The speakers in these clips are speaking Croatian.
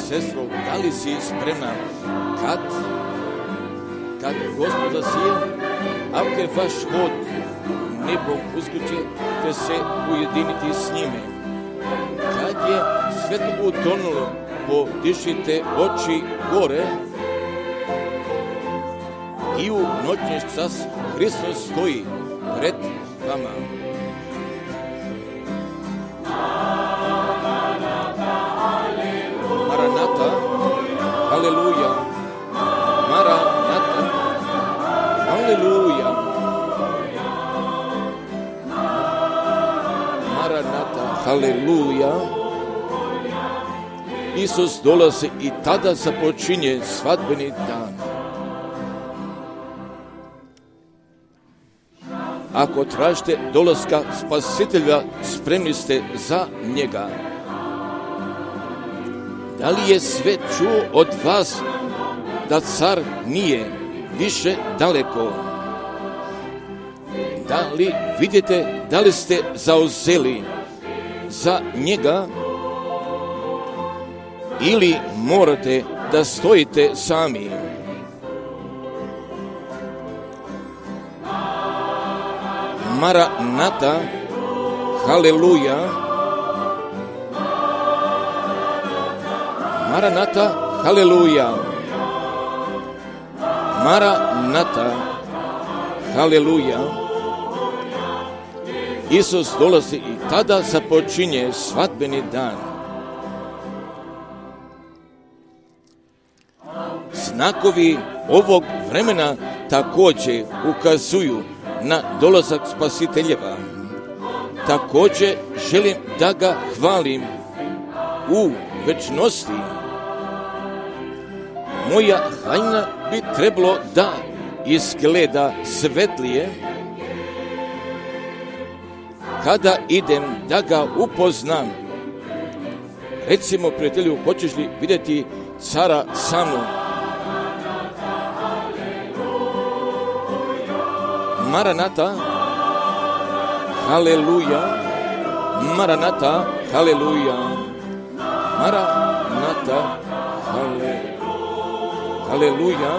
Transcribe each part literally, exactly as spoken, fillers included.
sestro, da li si spremna kad, kad Gospod zasije, ako vaš hod nebom uskriče, te se ujediniti s njime. Kad je sve to utonulo, podišite oči gore i u noćni čas Hristos stoji pred vama. Maranata, haleluja, Maranata, haleluja, Maranata, haleluja. Isus dolazi i tada započinje svadbeni dan. Ako tražite dolaska Spasitelja, spremni ste za njega. Da li je sve čuo od vas da car nije više daleko? Da li vidite, da li ste zauzeli za njega ili morate da stojite sami? Maranata, haleluja, Maranata, haleluja, Maranata, haleluja. Isus dolazi i tada započinje svadbeni dan. Znakovi ovog vremena također ukazuju na dolazak Spasiteljeva. Također želim da ga hvalim u večnosti. Moja haljina bi trebalo da izgleda svetlije kada idem da ga upoznam. Recimo, prijatelju, hoćeš li vidjeti cara sa mnom? Maranata, haleluja, Maranata, haleluja, Maranata, hale, haleluja.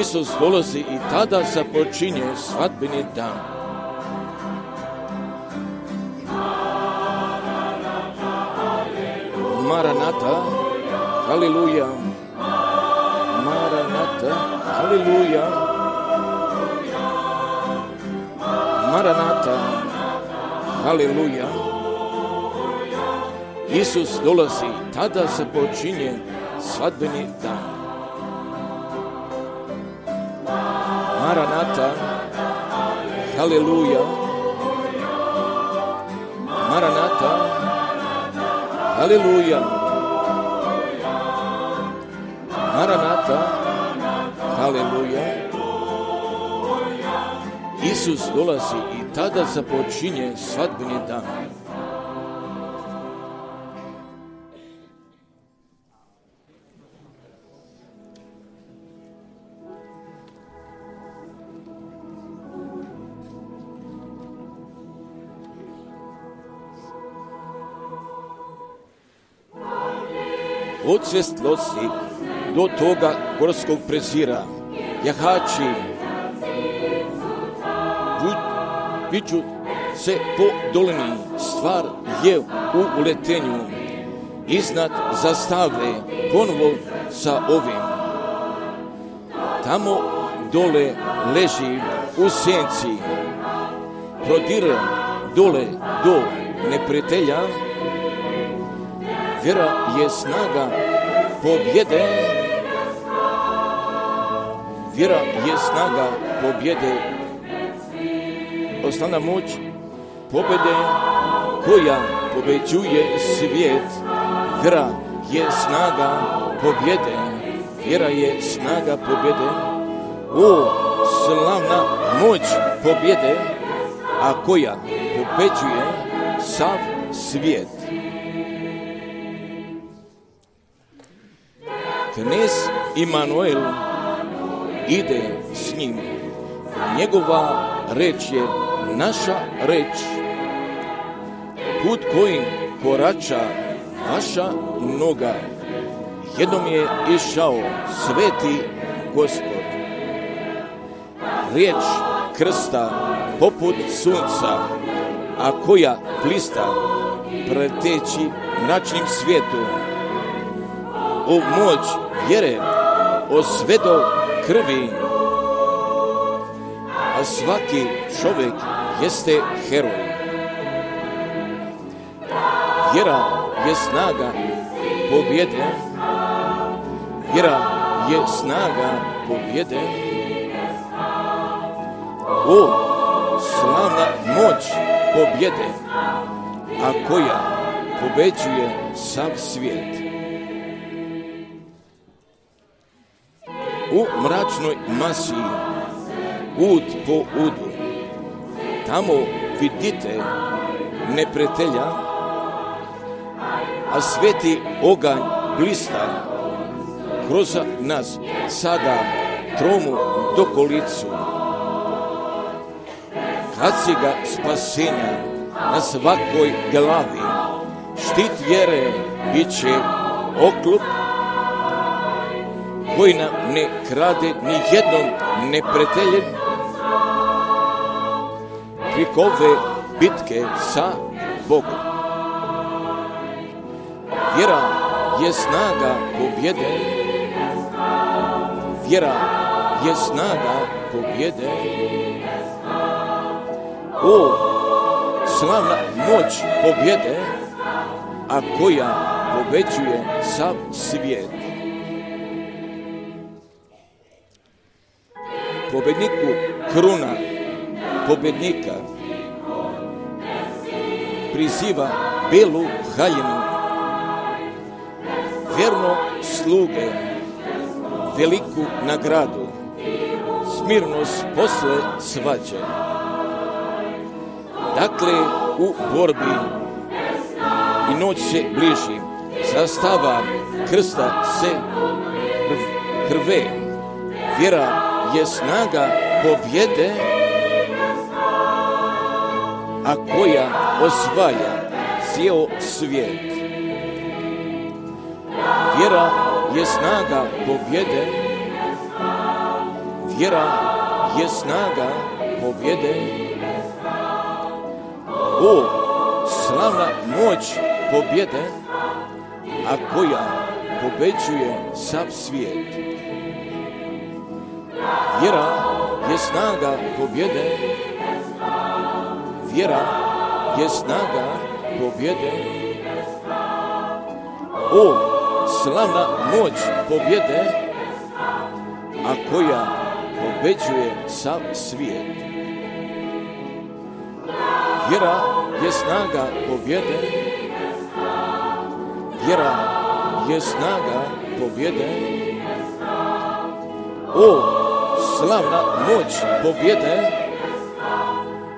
Isus dolazi i tada započinje svadbeni dan. Maranata, haleluja, Maranata, haleluja, Maranata, haleluja. Isus dolazi, tada se počinje svadbeni dan. Maranata, haleluja, Maranata, haleluja, Maranata, haleluja. Isus dolazi i tada započinje svadbeni dan. Od svjetlosti do toga gorskog prezira, jahači viču se po dolini, stvar je u uletenju, iznad zastave ponovo sa ovim. Tamo dole leži u senci, prodire dole do neprijatelja, vjera je snaga pobjede, vjera je snaga pobjede, osnovna moć pobjede koja pobeđuje svijet. Vjera je snaga pobjede, vjera je snaga pobjede, o slavna moć pobjede, a koja pobeđuje sav svijet. Knez Imanuel ide s njim. Njegova reč je naša reč. Put kojim korača vaša noga jednom je išao sveti Gospod. Riječ krsta poput sunca, a koja blista preteći mračnim svijetom. O moć vjere osvedo krvi, a svaki čovjek jeste heroj. Vjera je snaga pobjede, vjera je snaga pobjede. O, slavna moć pobjede, a koja pobeđuje sav svijet. U mračnoj masi, ud po udu, tamo vidite neprijatelja, a sveti oganj blista kroz nas sada tromu dokolicu. Kad si ga spasenja na svakoj glavi, štit vjere bit će oklup koji nam ne krade ni jednom neprijateljem. Preko ove bitke sa Bogom. Vjera je snaga pobjede, vjera je snaga pobjede. O, slavna moć pobjede, a koja pobeđuje sav svijet. Pobjedniku kruna pobjednika priziva belu haljinu, vjerno sluge veliku nagradu, smirnost posle svađe. Dakle, u borbi i noć se bliži, zastava krsta se hrve, vjera je snaga pobjede, a koja osvaja cijel svijet. Vjera je snaga pobjede, vjera je snaga pobjede. O, slavna moć pobjede, a koja pobeđuje sav svijet. Vjera je snaga pobjede, vjera je snaga pobjede. O, slavna moć pobjede, a koja pobeđuje sav svijet. Vjera je snaga pobjede, vjera je snaga pobjede. O, slavna moć pobjede,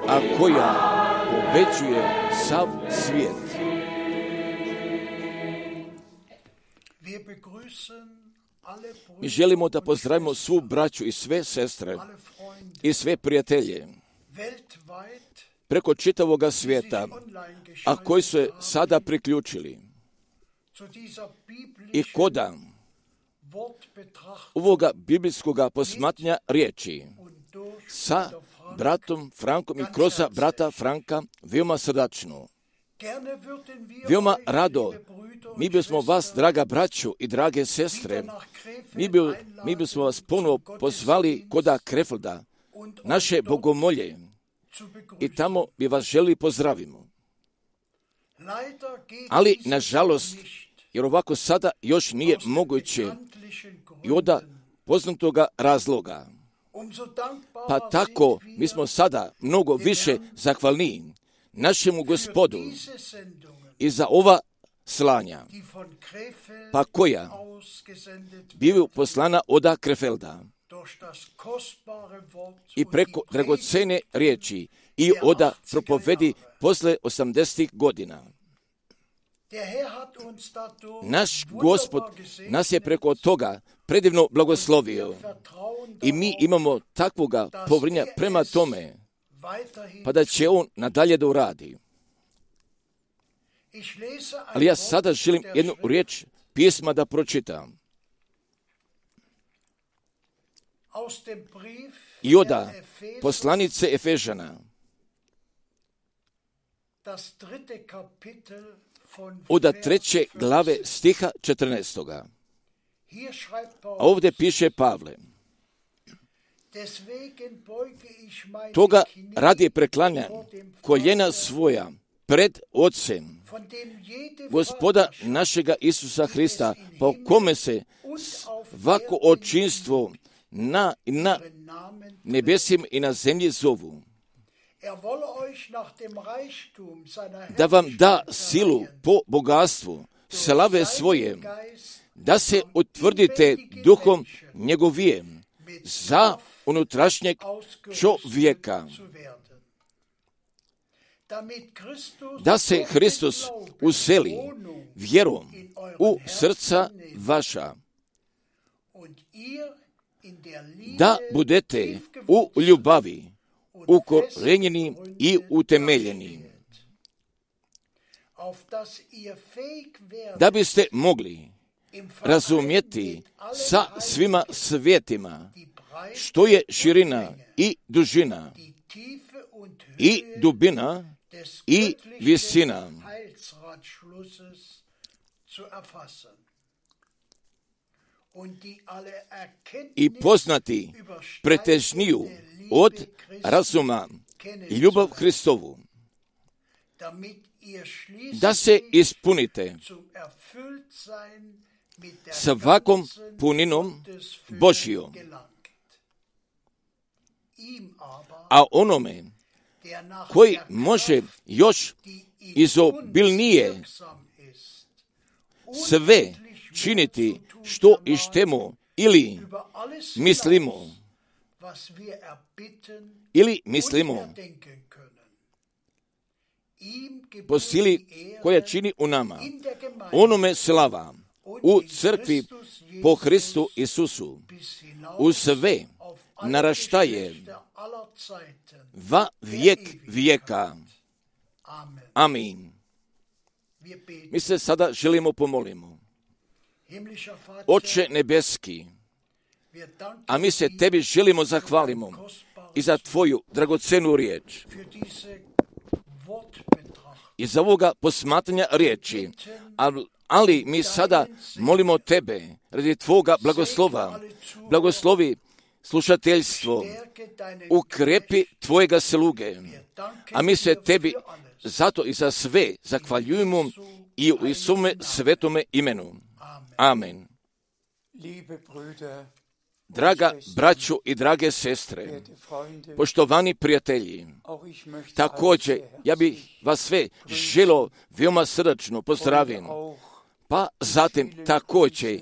a koja pobeđuje sav svijet. Mi želimo da pozdravimo svu braću i sve sestre i sve prijatelje preko čitavoga svijeta, a koji su se sada priključili i koda ovoga biblijskoga posmatranja riječi sa bratom Frankom i kroz brata Franka veoma srdačno. Veoma rado, mi bismo vas, draga braću i drage sestre, mi, bi, mi bismo vas ponovo pozvali koda Krefelda, naše bogomolje, i tamo bi vas želi pozdravimo. Ali, nažalost, jer ovako sada još nije moguće i od poznatoga razloga. Pa tako, mi smo sada mnogo više zahvalni našemu Gospodu i za ova slanja, pa koja bivaju poslana od Krefelda i preko dragocene riječi i od propovedi posle osamdesetih godina. Naš Gospod nas je preko toga predivno blagoslovio i mi imamo takvoga povjerenja prema tome, pa da će On nadalje da uradi. Ali ja sada želim jednu riječ pisma da pročitam. I oda poslanice Efežana, oda treće glave stiha četrnaestoga. A ovdje piše Pavle: toga radi preklanjam koljena svoja pred Otcem, Gospoda našega Isusa Hrista, po kome se svako očinstvo na, na nebesim i na zemlji zovu, da vam da silu po bogatstvu slave svoje, da se utvrdite duhom njegovijem za unutrašnjeg čovjeka, da se Hristos useli vjerom u srca vaša, da budete u ljubavi ukorenjeni i utemeljeni, da biste mogli razumjeti sa svima svijetima što je širina i dužina i dubina i visina, i poznati pretežniju od razuma ljubav Hristovu, da se ispunite svakom puninom Božjom. A onome koji može još izobilnije sve činiti što ištemo ili mislimo, ili mislimo po sili koja čini u nama, onome slava u crkvi po Hristu Isusu u sve naraštaje va vijek vijeka. Amin. Mi se sada želimo pomolimo. Oče nebeski, a mi se tebi želimo zahvalimo i za tvoju dragocenu riječ, i za ovoga posmatranja riječi, ali mi sada molimo tebe radi tvoga blagoslova. Blagoslovi slušateljstvo, ukrepi tvojega sluge, a mi se tebi zato i za sve zahvaljujemo i u Isume svetome imenu. Amen. Draga braćo i drage sestre, poštovani prijatelji, također ja bih vas sve želio veoma srdačno pozdravim, pa zatim također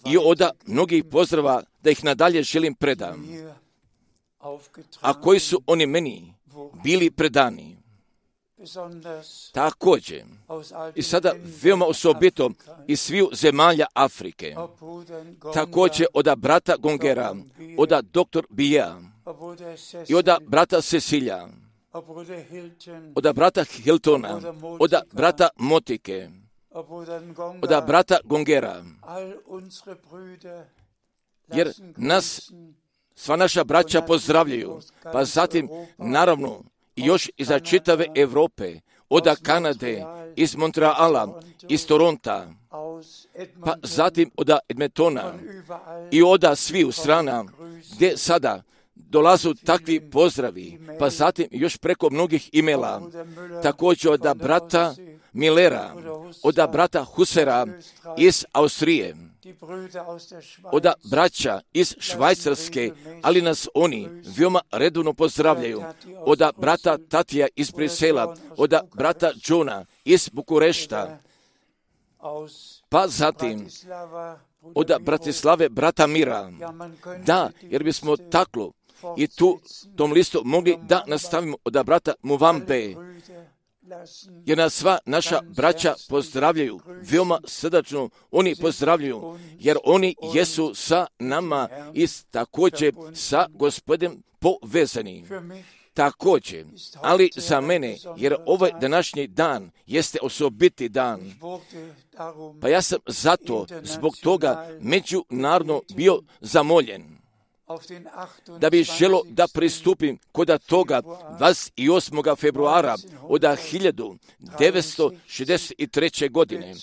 i oda mnogih pozdrava da ih nadalje želim predam, a koji su oni meni bili predani. Također, i sada veoma osobito iz svih zemalja Afrike, također oda brata Gongera, oda doktor Bija, i oda brata Cecilija, oda brata Hiltona, oda brata Motike, oda brata Gongera, jer nas sva naša braća pozdravljaju, pa zatim naravno i još iza čitave Europe, oda Kanade, iz Montreala, iz Toronta, pa zatim oda Edmontona i oda sviju strana gdje sada dolazu takvi pozdravi, pa zatim još preko mnogih imela, također oda brata Millera, oda brata Husera iz Austrije, oda braća iz Švajcarske, ali nas oni veoma redovno pozdravljaju, oda brata Tatija iz Brisela, oda brata Johna iz Bukurešta, pa zatim oda Bratislave brata Mira. Da, jer bismo taklo i tu tom listu mogli da nastavimo oda brata Muvambe, jer nas sva naša braća pozdravljaju veoma srdačno, oni pozdravljaju, jer oni jesu sa nama i također sa Gospodem povezani. također, ali za mene, jer ovaj današnji dan jeste osobiti dan. Pa ja sam zato, zbog toga, međunarodno bio zamoljen da bi želo da pristupim kod toga dvadeset osmog februara od hiljadu devetsto šezdeset treće. godine,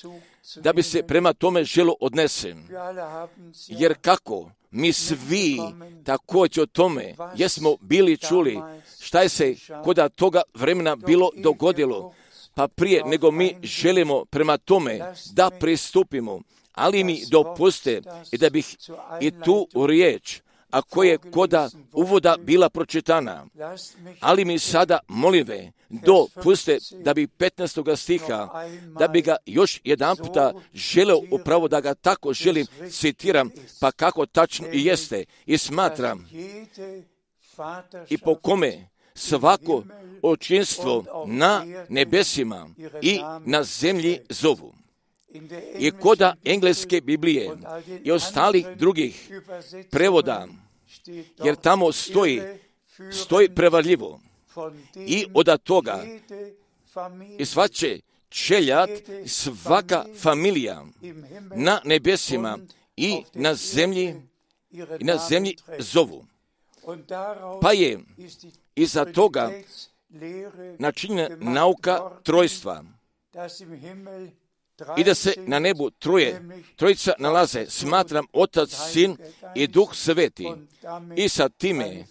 da bi se prema tome želo odnesem. Jer kako mi svi također o tome jesmo bili čuli šta je se kod toga vremena bilo dogodilo, pa prije nego mi želimo prema tome da pristupimo, ali mi dopuste i da bih i tu riječ, a koje koda uvoda bila pročitana, ali mi sada molive dopuste da bi petnaestog stiha, da bi ga još jedan puta želeo upravo da ga tako želim citiram, pa kako tačno i jeste i smatram i po kome svako očinstvo na nebesima i na zemlji zovu. I koda engleske Biblije i ostalih drugih prevoda, jer tamo stoji, stoji prevarljivo. I od toga i svače čeljat, svaka familija na nebesima i na zemlji, i na zemlji zovu. Pa je iza toga načinjena nauka trojstva. I da se na nebu troje, trojica nalaze, smatram Otac, Sin i Duh Sveti. I sa time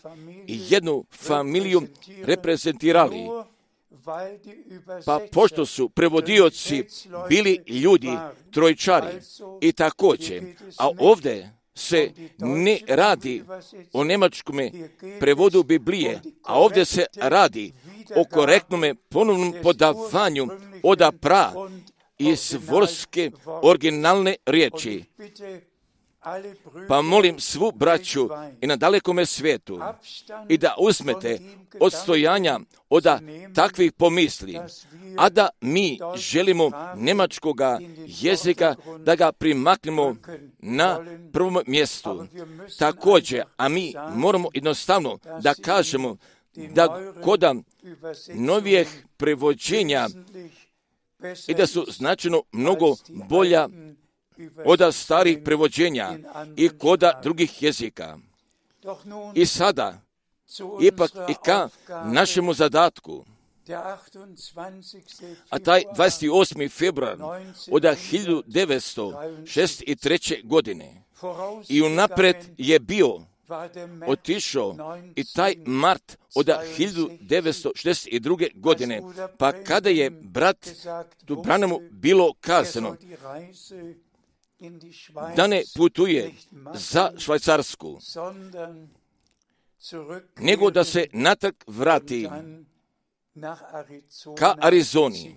jednu familiju reprezentirali. Pa pošto su prevodioci bili ljudi trojčari i također, a ovdje se ne radi o njemačkom prevodu Biblije, a ovdje se radi o korektnom ponovnom podavanju oda pra iz vorske originalne riječi. Pa molim svu braću i na dalekome svijetu i da uzmete odstojanja od takvih pomisli, a da mi želimo njemačkoga jezika da ga primaknemo na prvom mjestu. Također, a mi moramo jednostavno da kažemo da kod novijih prevođenja i da su značajno mnogo bolja od starih prevođenja i koda drugih jezika. I sada, ipak i ka našemu zadatku, a taj dvadeset osmi februar od hiljadu devetsto šezdeset treće. godine i unapred je bio otišao i taj mart od hiljadu devetsto šezdeset druge. godine, pa kada je brat Branhamu bilo kazano da ne putuje za Švajcarsku, nego da se natrag vrati ka Arizoni.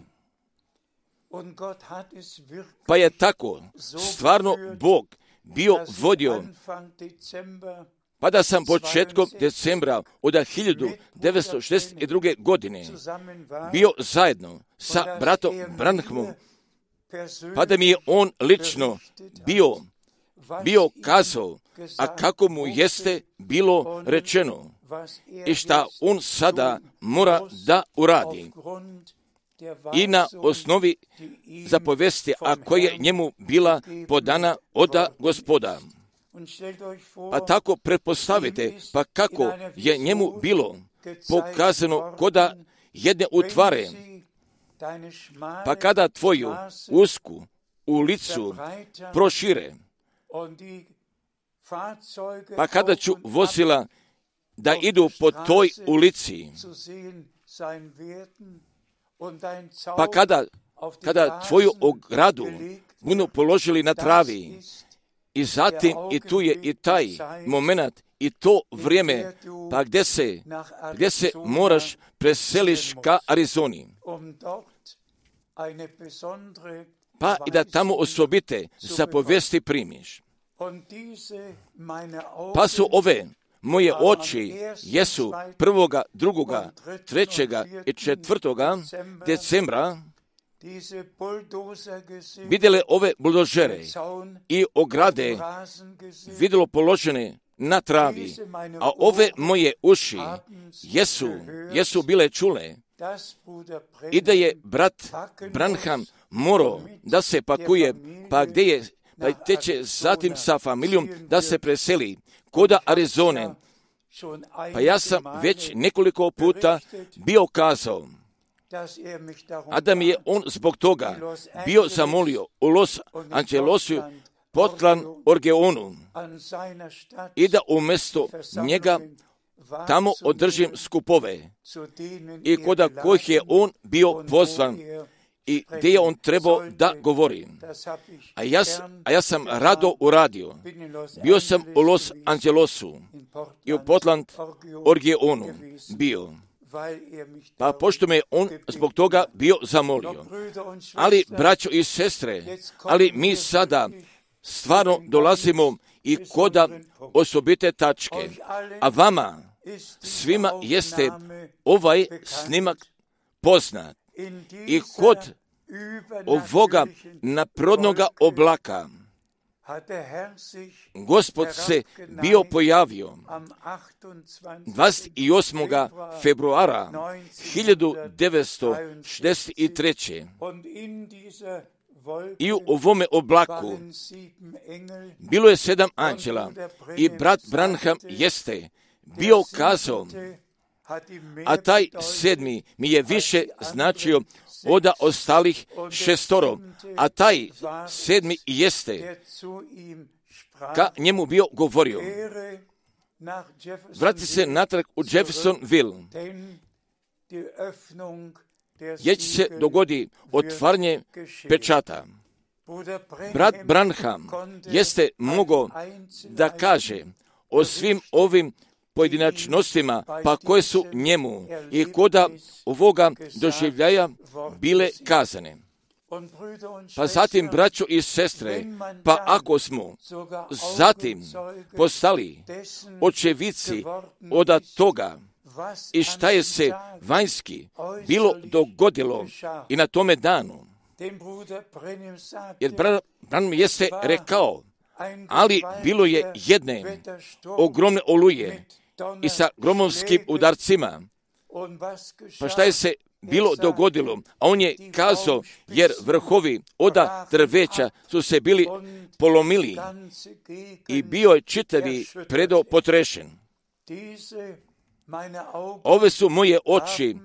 Pa je tako stvarno Bog bio vodio, pa da sam početkom decembra od hiljadu devetsto šezdeset druge. godine bio zajedno sa bratom Branhamom, pa da mi je on lično bio, bio kazao, a kako mu jeste bilo rečeno i šta on sada mora da uradi. I na osnovi zapovesti, a koja je njemu bila podana od Gospoda. Pa tako pretpostavite, pa kako je njemu bilo pokazano koda jedne utvare, pa kada tvoju usku ulicu prošire, pa kada ću vozila da idu po toj ulici, pa kada, kada tvoju ogradu budu položili na travi, i zatim i tu je i taj moment i to vrijeme, pa gdje se, gdje se moraš preseliš ka Arizoni. Pa i da tamo osobite zapovesti primiš. Pa su ove moje oči jesu prvoga, drugoga, trećega i četvrtoga decembra vidjele ove buldožere i ograde vidjelo položene na travi, a ove moje uši jesu, jesu bile čule i da je brat Branham morao da se pakuje, pa gdje je, pa te će zatim sa familijom da se preseli koda Arizone. Pa ja sam već nekoliko puta bio kazao, a da mi je on zbog toga bio zamolio u Los Angelesu, Portland, Oregonu, i da umjesto njega tamo održim skupove i koda kojih je on bio pozvan i gdje je on trebao da govori. A ja, a ja sam rado uradio. Bio sam u Los Angelesu i u Portland, Oregonu bio. Pa pošto me on zbog toga bio zamolio. Ali, braćo i sestre, ali mi sada stvarno dolazimo i koda osobite tačke. A vama, svima jeste ovaj snimak poznat. I kod ovoga naprodnoga oblaka Gospod se bio pojavio dvadeset osmog februara hiljadu devetsto šezdeset treće. I u ovome oblaku bilo je sedam anđela i brat Branham jeste bio kazao, a taj sedmi mi je više značio od ostalih šestoro, a taj sedmi jeste ka njemu bio govorio. Vrati se natrag u Jeffersonville, jer će se dogodi otvaranje pečata. Brat Branham jeste mogao da kaže o svim ovim pojedinačnostima, pa koje su njemu i koda ovoga doživljaja bile kazane. Pa zatim, braćo i sestre, pa ako smo zatim postali očevici od toga i šta je se vanjski bilo dogodilo i na tome danu, jer Branham jeste rekao, ali bilo je jedne ogromne oluje i sa gromovskim udarcima. Pa šta je se bilo dogodilo? A on je kazao, jer vrhovi oda drveća su se bili polomili i bio je čitavi predo potrešen. Ove su moje oči,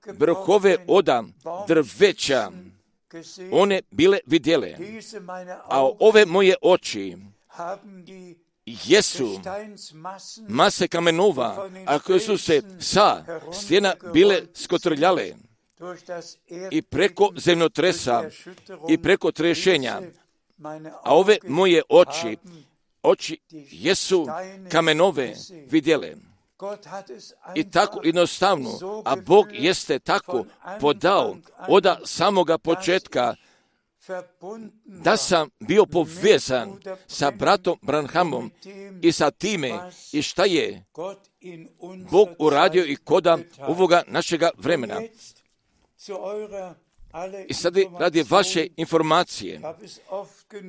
vrhove oda drveća, one bile vidjele, a ove moje oči jesu mase kamenova, a koje su se sa stijena bile skotrljale i preko zemljotresa i preko trešenja, a ove moje oči, oči jesu kamenove vidjele. I tako jednostavno, a Bog jeste tako podao od samoga početka da sam bio povezan sa bratom Branhamom i sa time i šta je Bog uradio i koda ovoga našega vremena. I sad radi vaše informacije,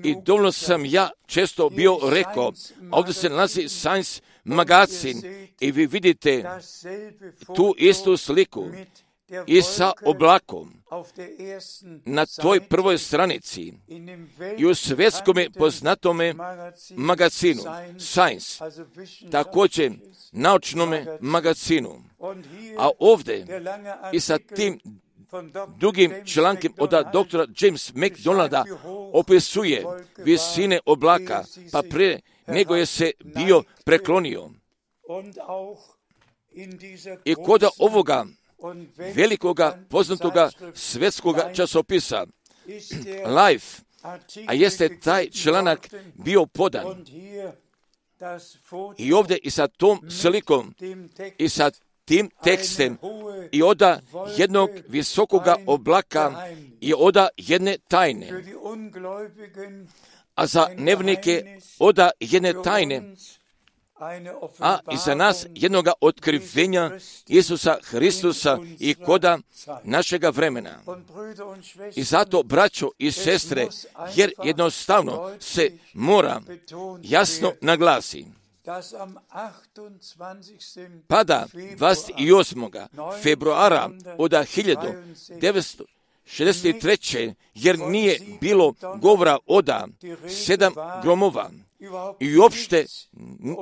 i dovoljno sam ja često bio rekao, ovdje se nalazi Science magazin i vi vidite tu istu sliku i sa oblakom na toj prvoj stranici i u svjetskom poznatome magazinu Science, također naučnome magazinu. A ovdje i sa tim drugim člankom od doktora James McDonalda opisuje visine oblaka, pa pre nego je se bio preklonio. I kod ovoga velikoga poznatoga svjetskoga časopisa Life, a jeste taj članak bio podan. I ovdje i sa tom slikom i sa tim tekstem i oda jednog visokoga oblaka i oda jedne tajne. A za nevnike oda jedne tajne, a i za nas jednoga otkrivenja Isusa Hristusa i koda našega vremena. I zato, braćo i sestre, jer jednostavno se mora jasno naglasi, pada dvadeset osmog februara od hiljadu devetsto šezdeset treće jer nije bilo govora oda sedam gromova i uopšte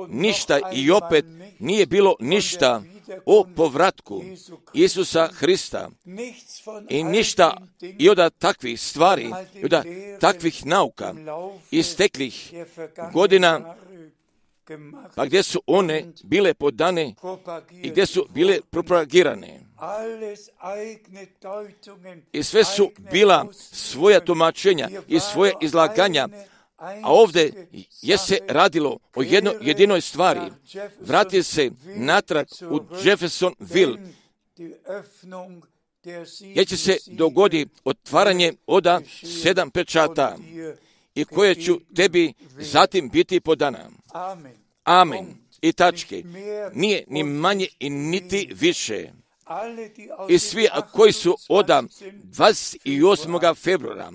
ništa i opet nije bilo ništa o povratku Isusa Hrista i ništa i od takvih stvari i od takvih nauka isteklih godina, pa gdje su one bile podane i gdje su bile propagirane. I sve su bila svoja tumačenja i svoje izlaganja, a ovdje je se radilo o jednoj jedinoj stvari. Vrati se natrag u Jeffersonville, jer će se dogoditi otvaranje oda sedam pečata i koje ću tebi zatim biti podana. Amen. I tačke. Nije ni manje i niti više. I svi koji su od dvadeset osmog februara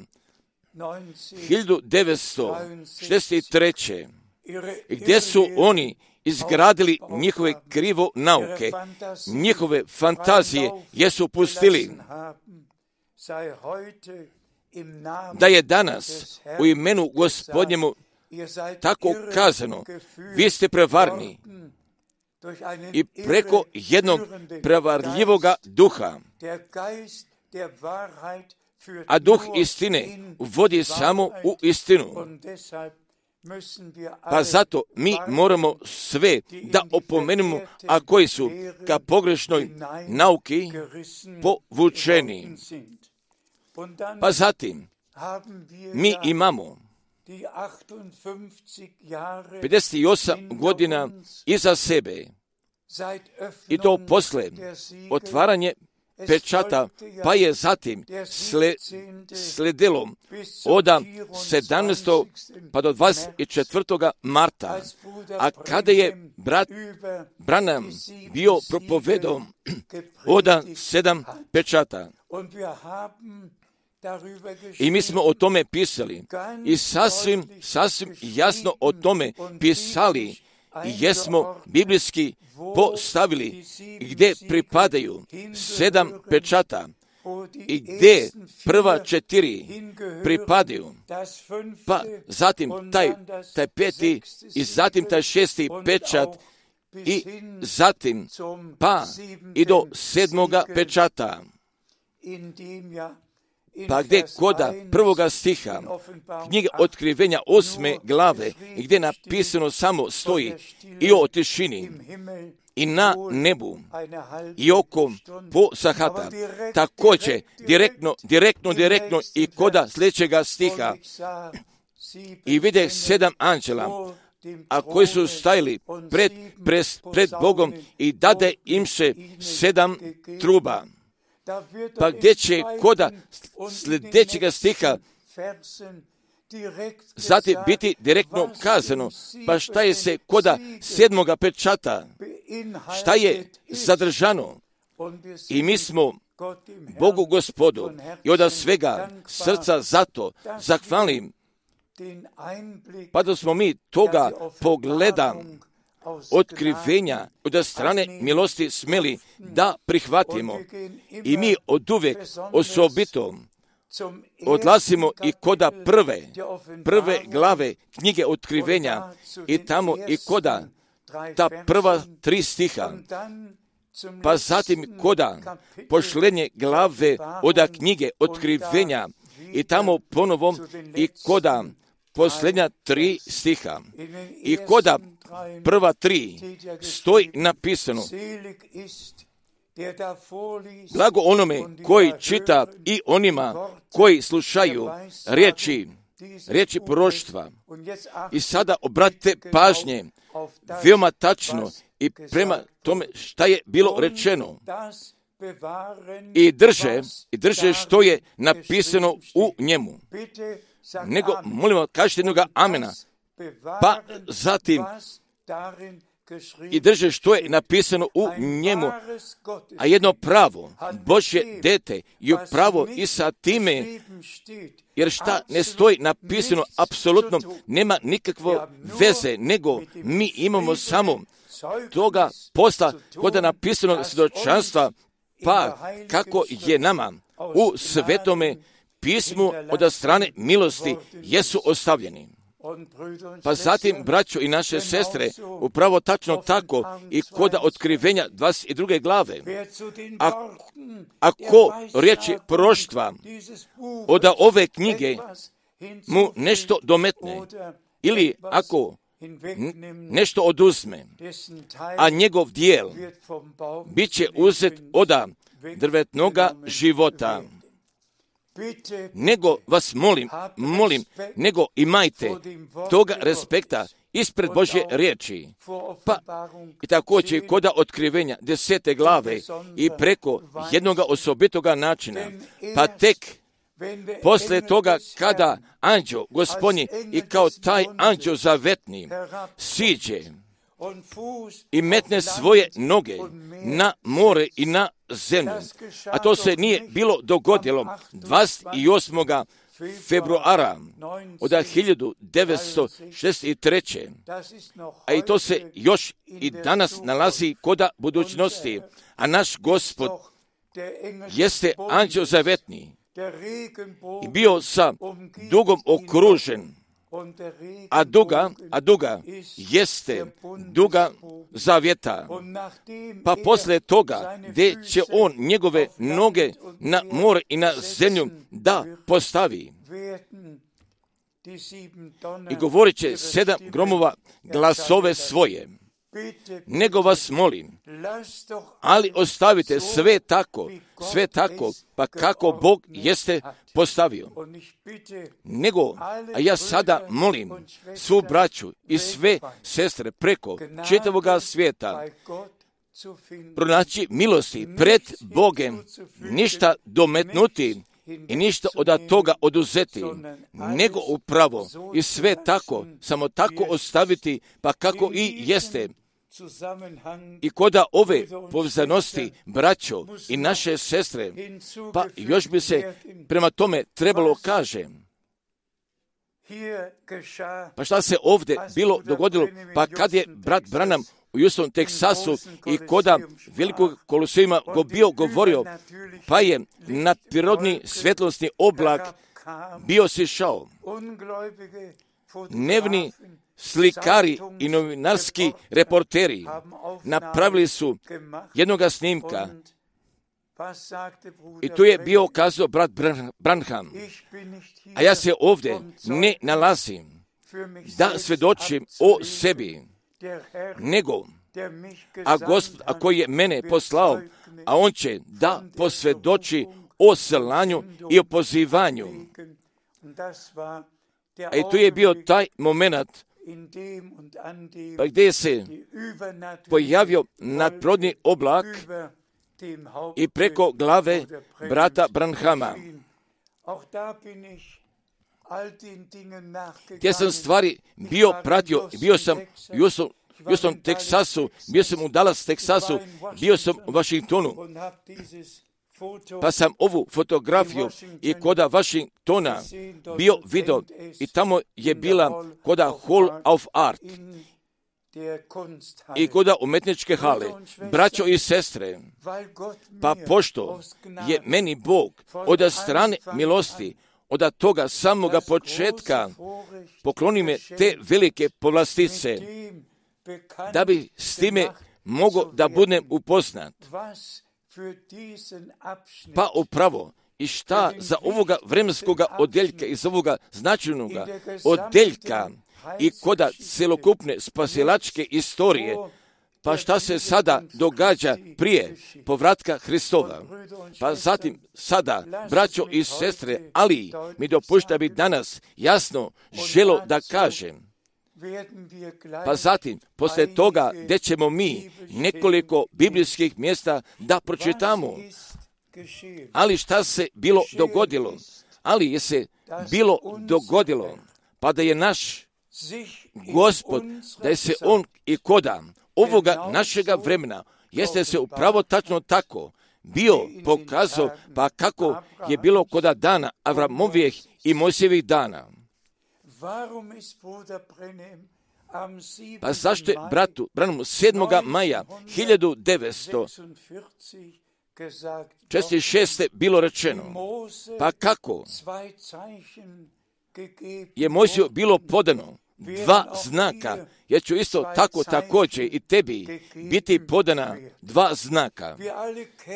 hiljadu devetsto šezdeset treće gdje su oni izgradili njihove krivo nauke, njihove fantazije, jesu pustili, da je danas u imenu Gospodnjemu tako kazano, vi ste prevarni i preko jednog prevarljivoga duha, a duh istine vodi samo u istinu. Pa zato mi moramo sve da opomenemo, a koji su ka pogrešnoj nauki povučeni. Pa zatim mi imamo pedeset osam godina iza sebe i to posle otvaranje pečata, pa je zatim sle, sledilo od sedamnaestog pa do dvadeset četvrtog marta, a kada je brat Branham bio propovedao od sedam pečata. I mi smo o tome pisali i sasvim, sasvim jasno o tome pisali i jesmo biblijski postavili gdje pripadaju sedam pečata i gdje prva četiri pripadaju, pa zatim taj, taj peti i zatim taj šesti pečat i zatim pa i do sedmoga pečata. Pa gdje koda prvoga stiha knjige Otkrivenja osme glave i gdje napisano samo stoji i o tišini i na nebu i oko po sahata, također direktno, direktno, direktno i koda sljedećega stiha i vide sedam anđela, a koji su stajali pred, pred, pred Bogom i dade im se sedam truba. Pa gdje će koda sljedećega stiha zatim biti direktno kazano, pa šta je se koda sedmoga pečata, šta je zadržano. I mi smo Bogu Gospodu i od svega srca zato zahvalni, pa da smo mi toga pogleda otkrivenja od strane milosti smeli da prihvatimo. I mi od uvijek osobito odlazimo i koda prve, prve glave knjige Otkrivenja i tamo i koda ta prva tri stiha, pa zatim koda pošlenje glave od knjige Otkrivenja i tamo ponovo i koda posljednja tri stiha i koda prva tri stoji napisano: blago onome koji čita i onima koji slušaju riječi, riječi proroštva. I sada obratite pažnje veoma tačno i prema tome šta je bilo rečeno. I drže, i drže što je napisano u njemu. Nego, molimo, kažete jednoga amena. Pa zatim, i drže što je napisano u njemu, a jedno pravo Božje dete je pravo i sa time, jer šta ne stoji napisano apsolutno nema nikakve veze, nego mi imamo samo toga posla kod napisanog svjedočanstva, pa kako je nama u Svetome pismu od strane milosti jesu ostavljeni. Pa zatim, braćo i naše sestre, upravo tačno tako i kod otkrivenja dvadeset druge glave, a, ako riječi proroštva od ove knjige mu nešto dometne, ili ako nešto oduzme, a njegov dijel bit će uzet od drvetnoga života. Nego vas molim, molim, nego imajte toga respekta ispred Božje riječi. Pa i također koda otkrivenja desete glave i preko jednoga osobitoga načina, pa tek poslije toga kada anđeo Gospodnji i kao taj anđeo zavetni siđe i metne svoje noge na more i na zemlju, a to se nije bilo dogodilo dvadeset osmog februara od hiljadu devetsto šezdeset treće. A i to se još i danas nalazi koda budućnosti, a naš Gospod jeste anđeo zavetni i bio sa dugom okružen, a duga, a duga jeste duga zavjeta. Pa poslije toga, gdje će on njegove noge na more i na zemlju da postavi. I govorit će sedam gromova glasove svoje. Nego vas molim, ali ostavite sve tako, sve tako, pa kako Bog jeste postavio. Nego, a ja sada molim svu braću i sve sestre preko čitavoga svijeta pronaći milosti pred Bogem, ništa dometnuti i ništa od toga oduzeti, nego upravo i sve tako, samo tako ostaviti, pa kako i jeste. I koda ove povezanosti, braćo i naše sestre, pa još bi se prema tome trebalo kaže. Pa šta se ovdje bilo dogodilo? Pa kad je brat Branham u Houston, Teksasu i koda velikog kolosijuma go bio govorio, pa je nadprirodni svjetlosni oblak bio sišao. Nevni slikari i novinarski reporteri napravili su jednoga snimka i tu je bio kazao brat Branham, a ja se ovdje ne nalazim da svjedočim o sebi, nego a Gospod, a koji je mene poslao, a on će da posvjedoči o slanju i o pozivanju. A i tu je bio taj moment pa gdje se pojavio nadprirodni oblak i preko glave brata Branhama. Gdje sam stvari bio pratio, bio sam u Houston, Houston, Teksasu, bio sam u Dallas, Teksasu, bio sam u Washingtonu, pa sam ovu fotografiju i koda Washingtona bio video i tamo je bila koda Hall of Art i koda umetničke hale. Braćo i sestre, pa pošto je meni Bog od strane milosti, od toga samoga početka pokloni me te velike povlastice, da bi s time mogao da budem upoznat. Pa upravo i šta za ovoga vremenskoga odjeljka i za ovoga značajnoga odjeljka i koda celokupne spasilačke istorije, pa šta se sada događa prije povratka Hristova. Pa zatim sada, braćo i sestre, ali mi dopušta bi danas jasno želo da kažem. Pa zatim, poslije toga, gdje ćemo mi nekoliko biblijskih mjesta da pročitamo. Ali šta se bilo dogodilo? Ali je se bilo dogodilo, pa da je naš Gospod, da je se on i koda ovoga našega vremena jeste se upravo tačno tako bio pokazao, pa kako je bilo kod dana Avramovijeh i Mojsijevih dana. Pa zašto je bratu Branhamu sedmog maja hiljadu devetsto četrdeset šeste bilo rečeno, pa kako je Mojsiju bilo podano dva znaka, jer ću isto tako također i tebi biti podana dva znaka.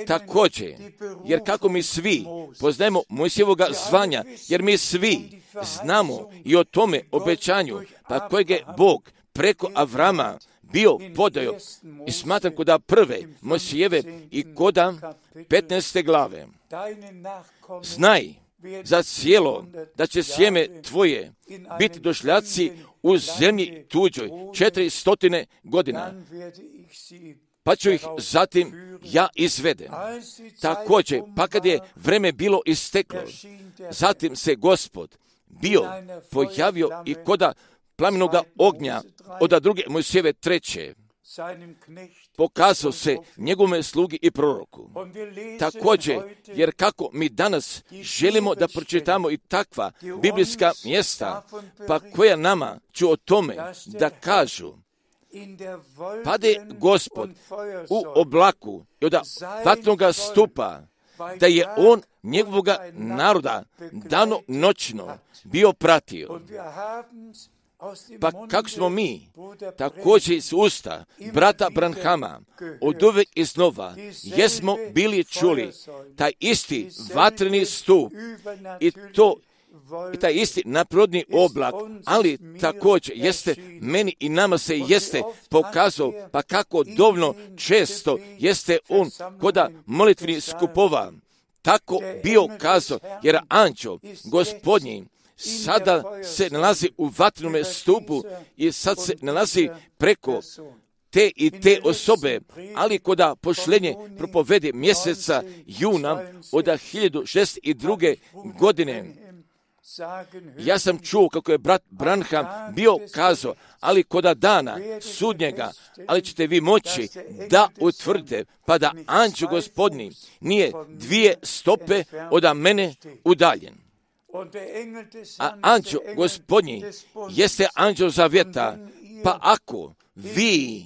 Također, jer kako mi svi poznajemo Mojsijevoga zvanja, jer mi svi znamo i o tome obećanju, pa kojeg je Bog preko Avrama bio podao, i smatram koda prve Mojsijeve i koda petnaeste glave. Znaj za cijelo da će sjeme tvoje biti došljaci u zemlji tuđoj četiri stotine godina, pa ću ih zatim ja izvedem. Također, pa kad je vreme bilo isteklo, zatim se Gospod bio pojavio i koda plamenoga ognja od druge Mojsijeve treće, pokazao se njegovome slugi i proroku. Također, jer kako mi danas želimo da pročitamo i takva biblijska mjesta, pa koja nama ću o tome da kažu, pade Gospod u oblaku i od vatnoga stupa, da je on njegovoga naroda dano noćno bio pratio. Pa kako smo mi također iz usta brata Branhama od uvek iznova jesmo bili čuli taj isti vatreni stup i to i taj isti naprodni oblak, ali također jeste meni i nama se jeste pokazao, pa kako dovoljno često jeste on koda molitveni skupova tako bio kazao, jer anđeo Gospodnji sada se nalazi u vatrenome stupu i sad se nalazi preko te i te osobe, ali koda pošlenje propovede mjeseca juna od hiljadu šeststo druge. godine. Ja sam čuo kako je brat Branham bio kazao, ali koda dana sudnjega, ali ćete vi moći da utvrdite, pa da anđeo Gospodnji nije dvije stope od mene udaljen. A anđeo Gospodnji jeste anđeo zavjeta, pa ako vi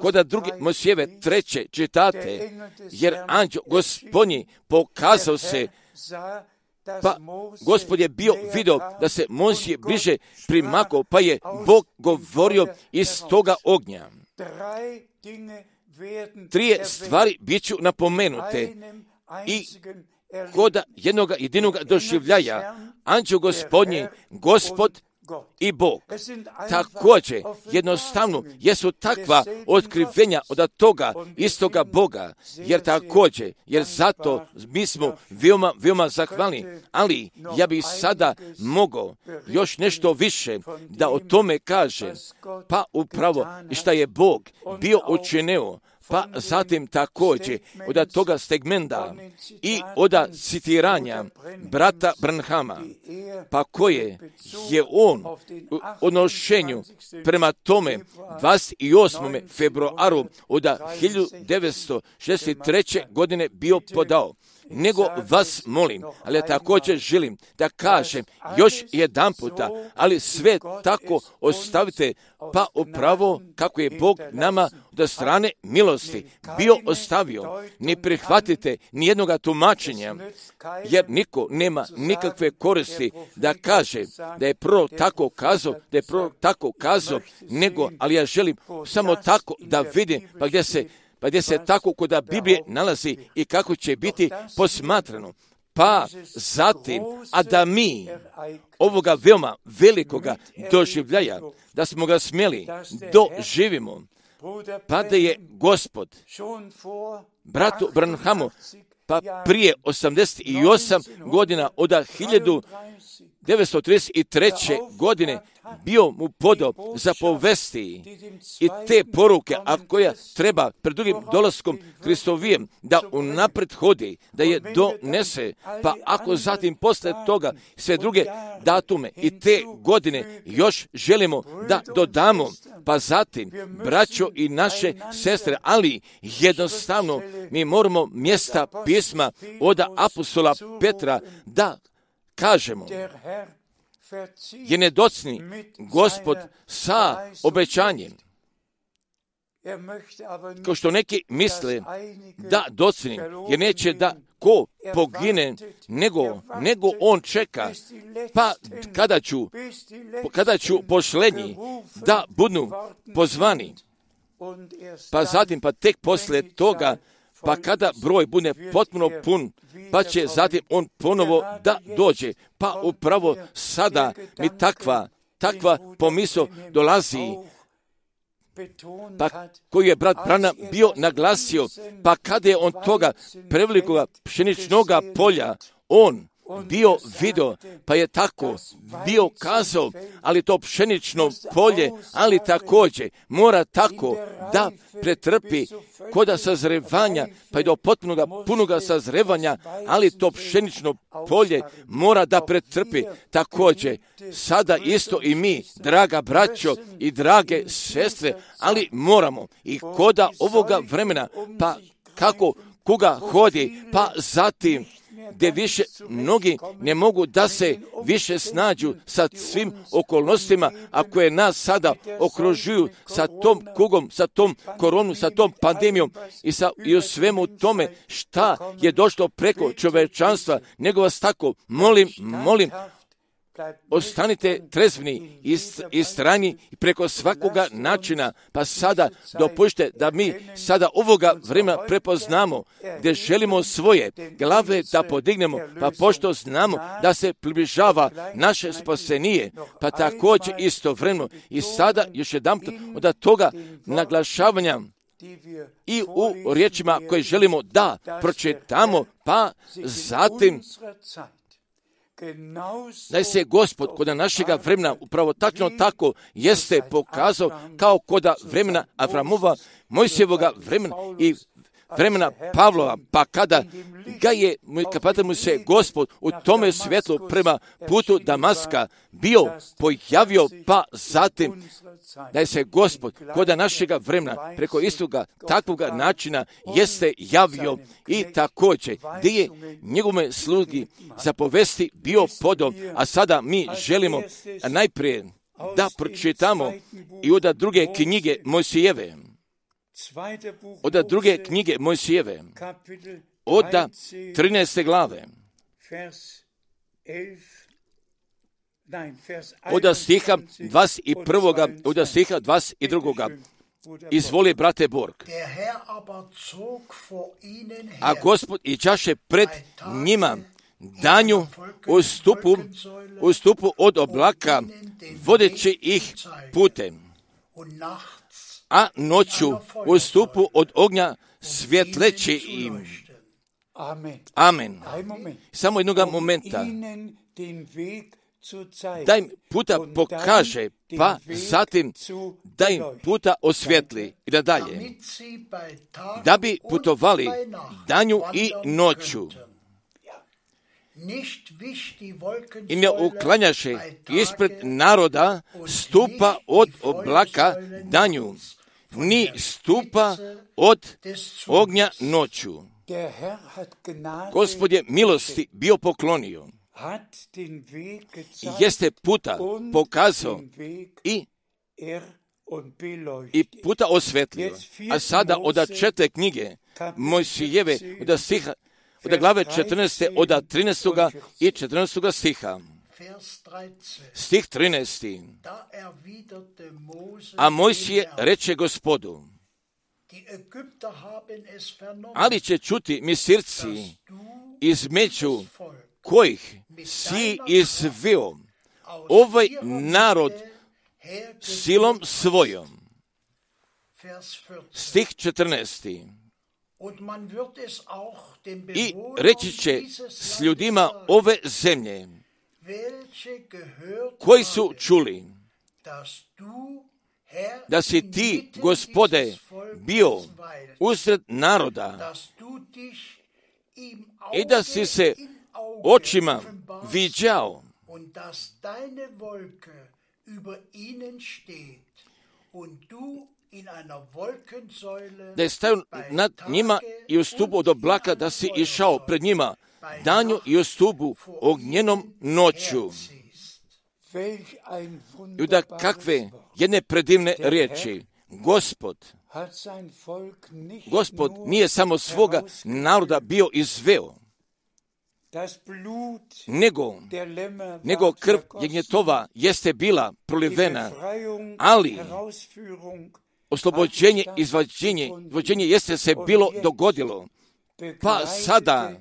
koda druge Mojsijeve treće čitate, jer anđeo Gospodnji pokazao se, pa Gospod je bio vidio da se Mojsije bliže primakao, pa je Bog govorio iz toga ognja. Trije stvari bit ću napomenute i koda jednog jedinog doživljaja, anđeo Gospodnji, Gospod i Bog. Također, jednostavno, jesu takva otkrivenja od toga istoga Boga, jer također, jer zato mi smo veoma, veoma zahvalni, ali ja bih sada mogao još nešto više da o tome kažem, pa upravo i šta je Bog bio učinio, pa zatim također od toga segmenta i od citiranja brata Branhama, pa koje je on u odnošenju prema tome dvadeset osmog februara od hiljadu devetsto šezdeset treće. godine bio podao. Nego vas molim, ali ja također želim da kažem još jedan puta, ali sve tako ostavite, pa upravo kako je Bog nama od strane milosti bio ostavio. Ne prihvatite ni jednoga tumačenja, jer niko nema nikakve koristi da kaže da je prvo tako kazao, da je prvo tako kazao, nego, ali ja želim samo tako da vidim, pa gdje se pa gdje se tako koda Biblije nalazi i kako će biti posmatrano. Pa zatim, a da mi ovoga veoma velikoga doživljaja, da smo ga smjeli doživimo, pa da je Gospod bratu Branhamu, pa prije osamdeset osam godina od hiljadu devetsto trideset treće. godine bio mu podo za povesti i te poruke, a koja treba pred drugim dolaskom Hristovijem da unapred hodi, da je donese, pa ako zatim posle toga sve druge datume i te godine još želimo da dodamo, pa zatim braćo i naše sestre, ali jednostavno mi moramo mjesta pisma od apostola Petra da kažemo, je nedocni Gospod sa obećanjem. Kao što neki misle da docni, jer neće da ko pogine, nego, nego on čeka, pa kada ću, kada ću pošlenji da budu pozvani, pa zatim, pa tek posle toga, pa kada broj bude potpuno pun, pa će zatim on ponovo da dođe. Pa upravo sada mi takva, takva pomisao dolazi, pa koju je brat Branham bio naglasio, pa kada je on toga prevelikoga pšeničnog polja, on bio video, pa je tako bio kazao, ali to pšenično polje, ali također mora tako da pretrpi koda sazrevanja, pa i do potpunoga, punoga sazrevanja, ali to pšenično polje mora da pretrpi također. Sada isto i mi, draga braćo i drage sestre, ali moramo i koda ovoga vremena, pa kako koga hodi, pa zatim gdje više mnogi ne mogu da se više snađu sa svim okolnostima, a koje nas sada okružuju sa tom kugom, sa tom koronom, sa tom pandemijom i, sa, i u svemu tome šta je došlo preko čovečanstva, nego vas tako molim, molim, ostanite trezvni i strani preko svakoga načina, pa sada dopušte da mi sada ovoga vremena prepoznamo gdje želimo svoje glave da podignemo, pa pošto znamo da se približava naše spasenije, pa također istovremeno i sada još jedan od toga naglašavanja i u riječima koje želimo da pročitamo, pa zatim da se Gospod kod našega vremena upravo tačno tako jeste pokazao kao kod vremena Avramova, Mojsijevoga vremena i vremena Pavlova, pa kada ga je, kada mu se Gospod u tome svjetlu prema putu Damaska bio pojavio, pa zatim da je se Gospod kod našega vremena preko istoga takvoga načina jeste javio i također gdje je njegove slugi zapovesti bio podom, a sada mi želimo najprije da pročitamo i od druge knjige Mojsijeve. Od druge knjige Mojsijeve, od trinaeste glave, od stiha dvadeset prvog. od stiha dvadeset drugog. Izvoli, brate Borg. A Gospod iđaše pred njima danju u stupu, u stupu od oblaka, vodeći ih putem, a noću u stupu od ognja svjetleći im. Amen. Samo jednog momenta. Da im puta pokaže, pa zatim da im puta osvjetli i da dalje. Da bi putovali danju i noću. I ne uklanjaše ispred naroda stupa od oblaka danju, ni stupa od ognja noću. Gospod je milosti bio poklonio. Jeste puta pokazao i, i puta osvetlio. A sada od četiri knjige Mojsijeve, od stiha, od glave četrnaeste, od trinaestog i četrnaestog stiha. Stih trinaesti. A Mojsije reče Gospodu, ali će čuti Misirci između kojih si izveo ovaj narod silom svojom. Stih četrnaesti. I reći će s ljudima ove zemlje, koji su čuli da si ti, Gospode, bio usred naroda i da si se očima viđao da je stajao nad njima i u stupu od oblaka, da si išao pred njima danju i u stupu ognjenom noću. I da kakve jedne predivne riječi. Gospod, Gospod nije samo svoga naroda bio izveo, nego, nego krv jagnjetova jeste bila prolivena, ali oslobođenje, izvađenje, izvađenje jeste se bilo dogodilo. Pa sada,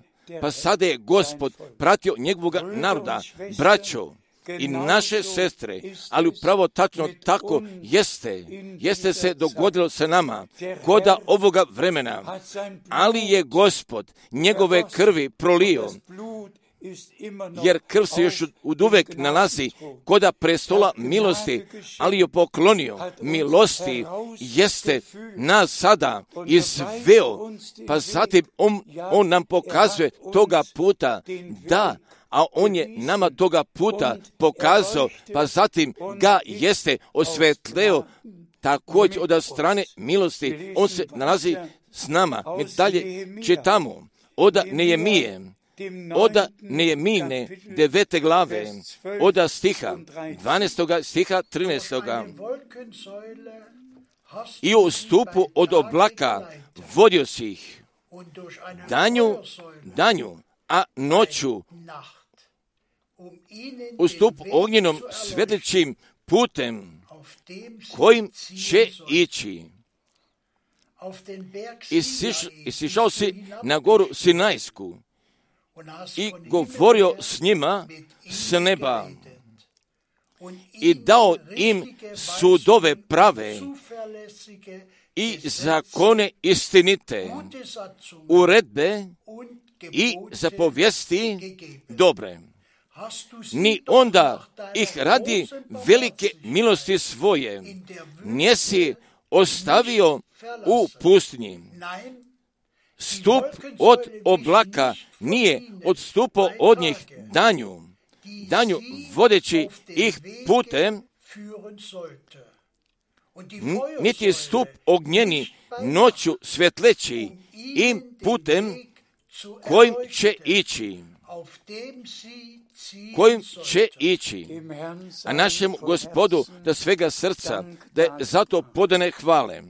pa sada je Gospod pratio njegovog naroda, braćo i naše sestre, ali upravo tačno tako jeste, jeste se dogodilo sa nama, koda ovoga vremena, ali je Gospod njegove krvi prolio, jer krv se još od uvek nalazi koda prestola milosti, ali je poklonio milosti, jeste nas sada izveo, pa zatim on, on nam pokazuje toga puta da, a on je nama toga puta pokazao, pa zatim ga jeste osvetleo također od strane milosti. On se nalazi s nama. Mi dalje čitamo oda Nejemije, oda Nejemine devete glave, oda stiha dvanaestoga stiha trinaestoga. I u stupu od oblaka vodio si ih danju, danju, a noću u stup ognjenom svetlećim putem kojim će ići. I sišao si na goru Sinajsku i govorio s njima s neba i dao im sudove prave i zakone istinite, uredbe i zapovijesti dobre. Ni onda ih radi velike milosti svoje nisi ostavio u pustinji. Stup od oblaka nije odstupao od njih danju, danju vodeći ih putem, niti stup ognjeni noću svetleći im putem kojim će ići, kojim će ići. A našem Gospodu da svega srca, da je zato podane hvale.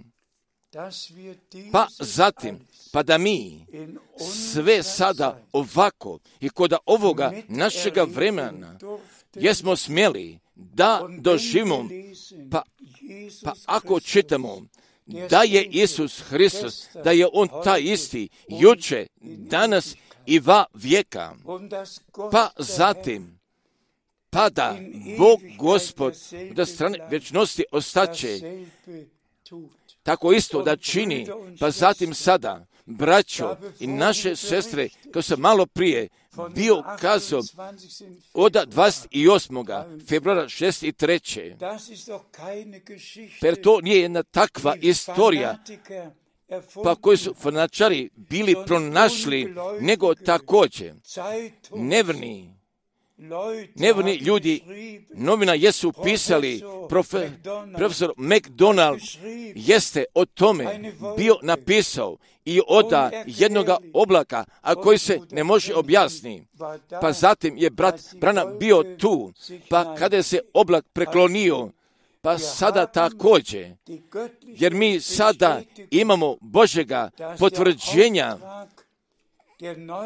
Pa zatim, pa da mi sve sada ovako i kod ovoga našega vremena jesmo smjeli da doživimo, pa, pa ako čitamo da je Isus Hristos, da je On taj isti, juče, danas i va vijeka, pa zatim, pa da Bog Gospod da strane vječnosti ostaće, tako isto da čini, pa zatim sada, braćo i naše sestre, kao sam malo prije bio kazao od dvadeset osmog februara šezdeset treće Per to nije jedna takva istorija, pa koji su fanatičari bili pronašli, nego također nevrni, nevrni ljudi, novina jesu pisali, profe, profesor McDonald jeste o tome bio napisao i oda jednoga oblaka, a koji se ne može objasniti. Pa zatim je brat Branham bio tu, pa kada se oblak preklonio, pa sada također, jer mi sada imamo Božjega potvrđenja,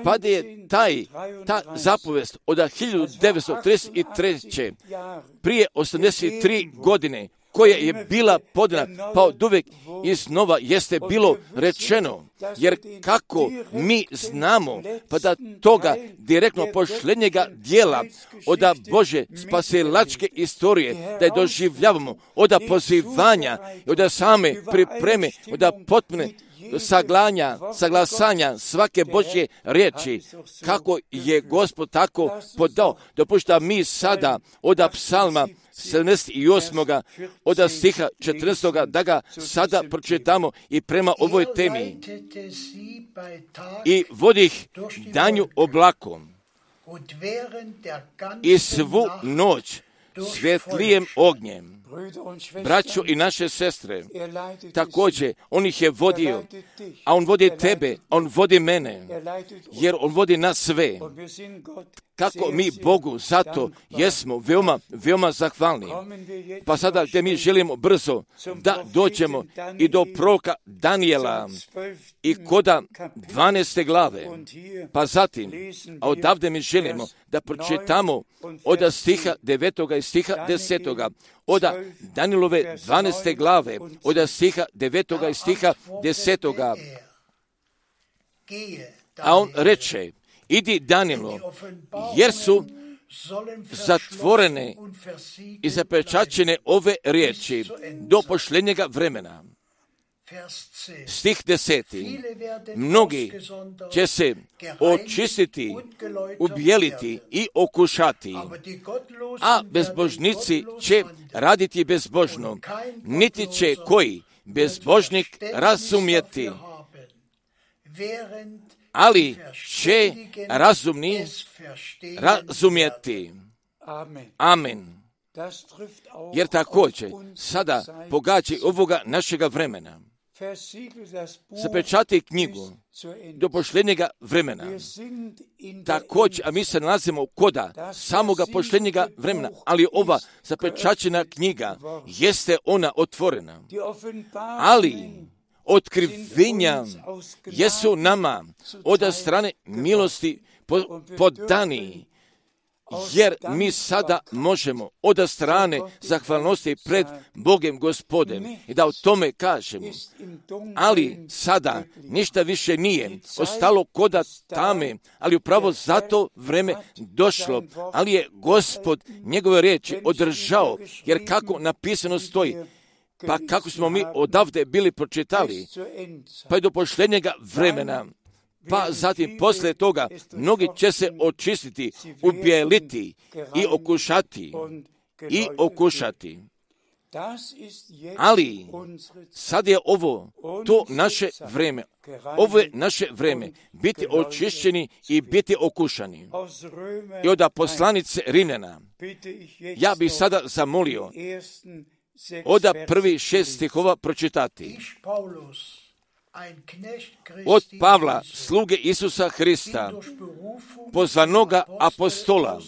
pa da je taj, ta zapovest od hiljadu devetsto trideset treće prije osamdeset tri godine, koja je bila podana, pa od uvijek iznova jeste bilo rečeno, jer kako mi znamo, pa da toga direktno posljednjega dijela od Bože spasilačke istorije, da je doživljavamo od pozivanja, od same pripreme, od potpune saglanja, saglasanja svake Božje riječi, kako je Gospod tako podao. Dopušta mi sada od psalma sedamdeset osam. od stiha četrnaestog. da ga sada pročitamo i prema ovoj temi. I vodi ih danju oblakom i svu noć svjetlijem ognjem. Braćo i naše sestre, također on ih je vodio, a on vodi tebe, on vodi mene, jer on vodi nas sve. Kako mi Bogu zato jesmo veoma, veoma zahvalni. Pa sada gdje mi želimo brzo da dođemo i do proroka Danijela i koda dvanaeste glave. Pa zatim, a odavde mi želimo da pročitamo od stiha devetoga i stiha desetoga. Od Danijelove dvanaeste glave, od stiha devetoga i stiha desetoga. A on reče, idi Danilo, jer su zatvorene i zapečaćene ove riječi do pošljenjega vremena. Stih deseti. Mnogi će se očistiti, ubijeliti i okušati, a bezbožnici će raditi bezbožno, niti će koji bezbožnik razumjeti, ali će razumni razumjeti. Amen. Jer također sada pogađa ovoga našega vremena. Zapečati knjigu do pošljenjega vremena. Također, a mi se nalazimo koda samoga pošljenjega vremena, ali ova zapečaćena knjiga jeste ona otvorena. Ali otkrivenja jesu nama od strane milosti podani, jer mi sada možemo od strane zahvalnosti pred Bogem Gospodem i da o tome kažemo. Ali sada ništa više nije ostalo koda tame, ali upravo zato vreme došlo, ali je Gospod njegove riječi održao, jer kako napisano stoji, pa kako smo mi odavde bili pročitali, pa je do pošljenjega vremena, pa zatim poslije toga mnogi će se očistiti, ubijeliti i okušati, i okušati. Ali sad je ovo to naše vrijeme, ovo je naše vrijeme, biti očišćeni i biti okušani. I od poslanice Rimljana, ja bih sada zamolio od prvi šest stihova pročitati. Od Pavla, sluge Isusa Hrista, pozvanoga apostola,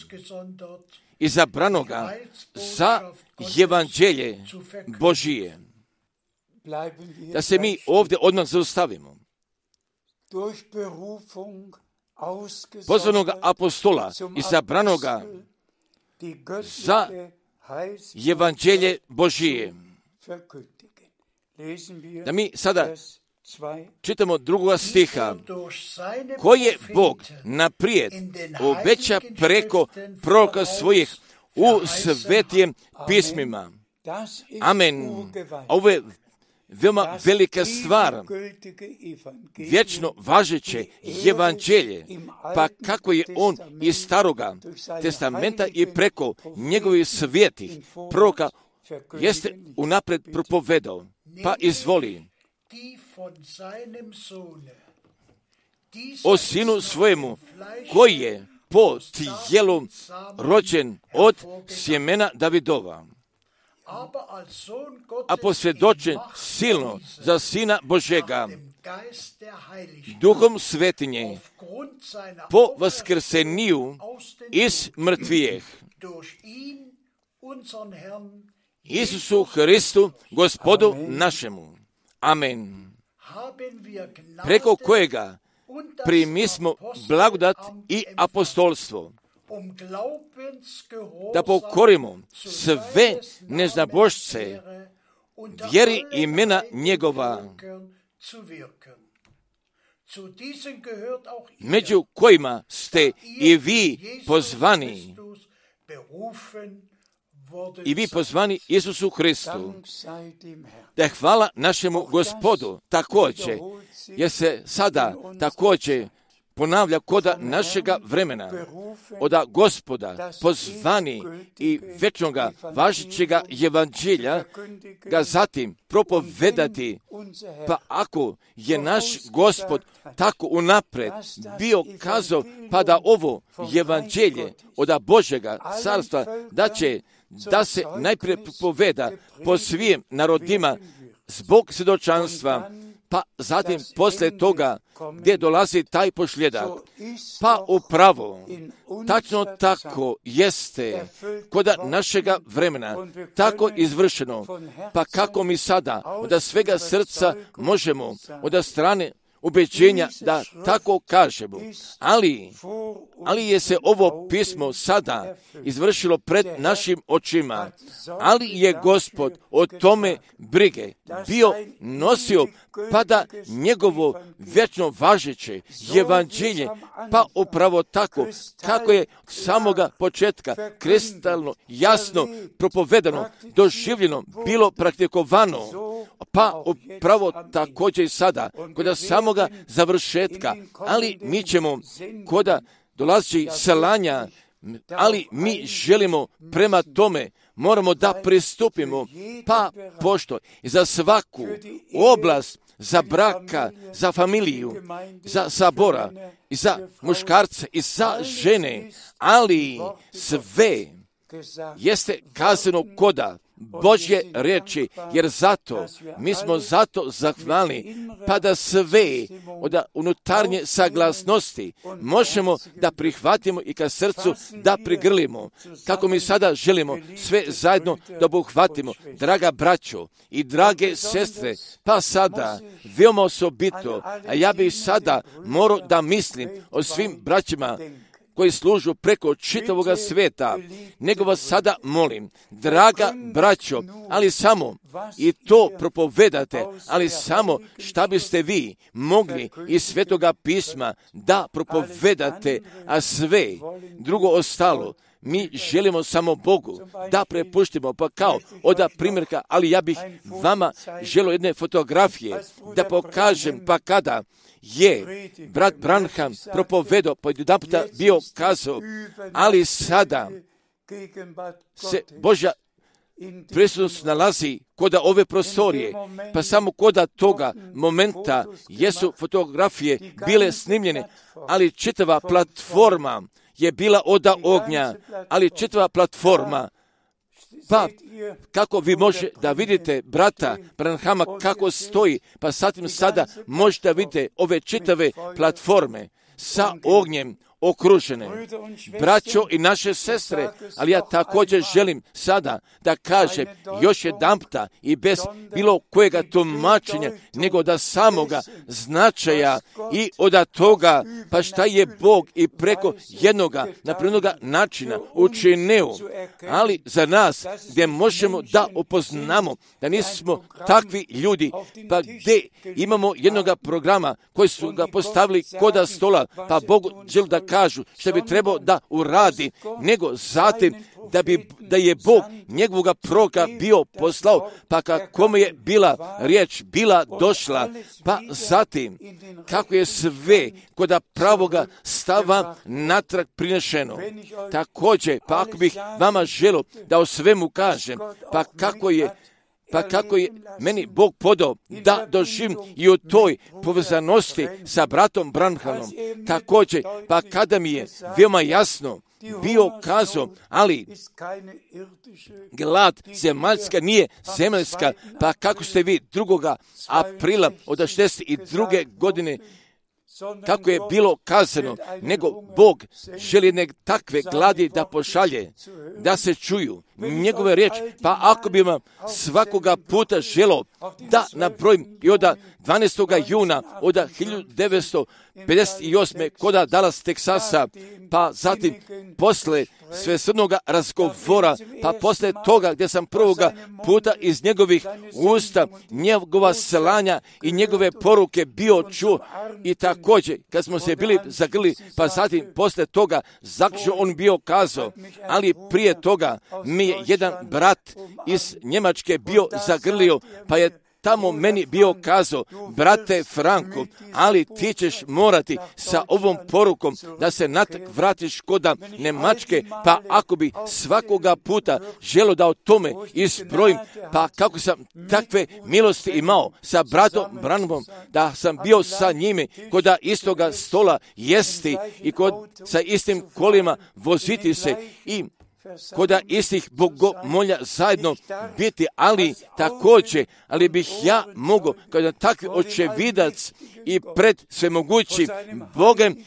izabranoga za evanđelje Božije. Da se mi ovdje odmah zaustavimo. Pozvanoga apostola, izabranoga za evanđelje Božije. Da mi sada čitamo drugoga stiha, koji je Bog naprijed obeća preko proroka svojih u svetijem pismima. Amen. Ovo je veoma velika stvar, vječno važeće evanđelje, pa kako je on iz staroga testamenta i preko njegovih svetih proroka jeste unaprijed propovedao. Pa izvoli, o sinu svojemu, koji je po tijelu rođen od sjemena Davidova, a posvjedočen silno za sina Božega, duhom svetinje, po vaskrseniju iz mrtvijeh, Isusu Hristu, Gospodu našemu. Amen. Preko kojega primismo blagodat i apostolstvo, da pokorimo sve neznabošce vjeri imena njegova, među kojima ste i vi pozvani, i vi pozvani Isusu Hristu. Da hvala našemu Gospodu također, jer se sada također ponavlja koda našega vremena, oda Gospoda pozvani i večnoga važećega evanđelja ga zatim propovedati. Pa ako je naš Gospod tako unapred bio kazao, pa da ovo evanđelje oda Božega carstva da će da se najprije propoveda po svim narodima zbog svjedočanstva, pa zatim poslije toga gdje dolazi taj pošljedak. Pa upravo, tačno tako jeste kod našega vremena, tako izvršeno, pa kako mi sada od svega srca možemo, od strane ubeđenja da tako kažemo, ali, ali je se ovo pismo sada izvršilo pred našim očima, ali je Gospod o tome brige bio nosio, pa da njegovo vječno važeće evanđelje, pa upravo tako kako je samoga početka kristalno jasno propovedano, doživljeno, bilo praktikovano, pa upravo također i sada, kod samoga završetka, ali mi ćemo kod dolazi selanja, ali mi želimo prema tome, moramo da pristupimo, pa pošto i za svaku oblast, za braka, za familiju, za sabora, i za muškarce, i za žene, ali sve jeste kazano koda Božje riječi, jer zato, mi smo zato zahvalni, pa da sve od unutarnje saglasnosti možemo da prihvatimo i ka srcu da prigrlimo, kako mi sada želimo sve zajedno da obuhvatimo. Draga braćo i drage sestre, pa sada, veoma osobito, a ja bih sada morao da mislim o svim braćima koji služu preko čitavoga svijeta, nego vas sada molim, draga braćo, ali samo i to propovedate, ali samo šta biste vi mogli iz Svetoga pisma da propovedate, a sve drugo ostalo mi želimo samo Bogu da prepuštimo, pa kao oda primjerka, ali ja bih vama želio jedne fotografije da pokažem, pa kada je brat Branham propovedao, pa jedan puta bio kazao, ali sada se Božja prisutnost nalazi koda ove prostorije, pa samo koda toga momenta jesu fotografije bile snimljene, ali čitava platforma je bila oda ognja, ali čitava platforma, pa kako vi možete da vidite brata Branhama kako stoji, pa satim sada možete da vidite ove čitave platforme sa ognjem okružene. Braćo i naše sestre, ali ja također želim sada da kažem još jedanputa i bez bilo kojega tumačenja, nego da samoga značaja i od toga, pa šta je Bog i preko jednoga napravljenoga načina učinio, ali za nas gdje možemo da upoznamo da nismo takvi ljudi, pa gdje imamo jednoga programa koji su ga postavili koda stola, pa Bogu želi da kažu što bi trebao da uradi, nego zatim da, bi, da je Bog njegovoga proroka bio poslao, pa kako je bila riječ, bila došla, pa zatim kako je sve kod pravoga stava natrag prinešeno. Također, pa ako bih vama želio da o svemu kažem, pa kako je Pa kako je meni Bog podao da doživim i u toj povezanosti sa bratom Branhamom. Također, pa kada mi je veoma jasno bio kazao, ali glad zemaljska nije zemaljska, pa kako ste vi drugoga aprila od šezdeset druge godine kako je bilo kazano, nego Bog želi jedne takve gladi da pošalje, da se čuju njegove riječi, pa ako bi vam svakoga puta želo da nabrojim i od dvanaestog juna od hiljadu devetsto pedeset osme koda Dallas, Teksasa, pa zatim posle svesrdnoga razgovora, pa posle toga gdje sam prvoga puta iz njegovih usta njegova slanja i njegove poruke bio čuo i tako također, kad smo se bili zagrli, pa zatim posle toga, zaključno on bio kazao, ali prije toga mi je jedan brat iz Njemačke bio zagrlio, pa je tamo meni bio kazao, brate Franko, ali ti ćeš morati sa ovom porukom da se natrag vratiš kod Njemačke, pa ako bi svakoga puta želo da o tome isprojim, pa kako sam takve milosti imao sa bratom Branhamom, da sam bio sa njime kod istoga stola jesti i kod sa istim kolima voziti se i kod istih bogomolja zajedno biti, ali također, ali bih ja mogao kao takvi očevidac i pred svemogućim Bogem